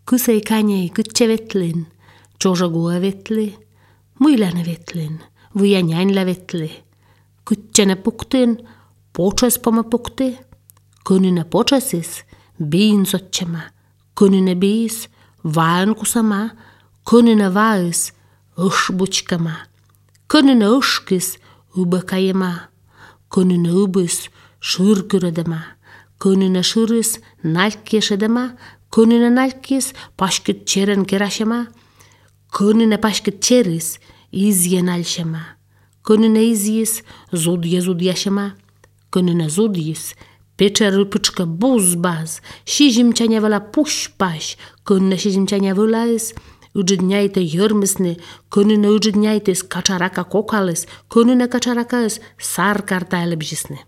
Kysei känei kytse vetlin, Jožagua vetli, muilane vetlin, Vujanjänlä vetli. Kytsene puktin, Počas poma pukti, Könine počasis, Biinsotsema, Könine biis, Vaankusama, Könine vais, Õšbutškama, Könine õškis, Õbekajema, Könine õbis, Šõrküredema, Könine šõris, Nalkiesedema, Könine nalkis, Paškit tšeren kerašema, Könine paškit tšeris, Izje nalšema, Könine izjis, Zudje zudjašema, Könine zudjis, Pečerõpõčka buzbaz, Šizimčanjavela pušpaš, Könine šizimčanjavelais, Õdžidnjajte jõrmisni, Könine õdžidnjajtes kačaraka kokales, Könine kačarakais sarkartailebžisni.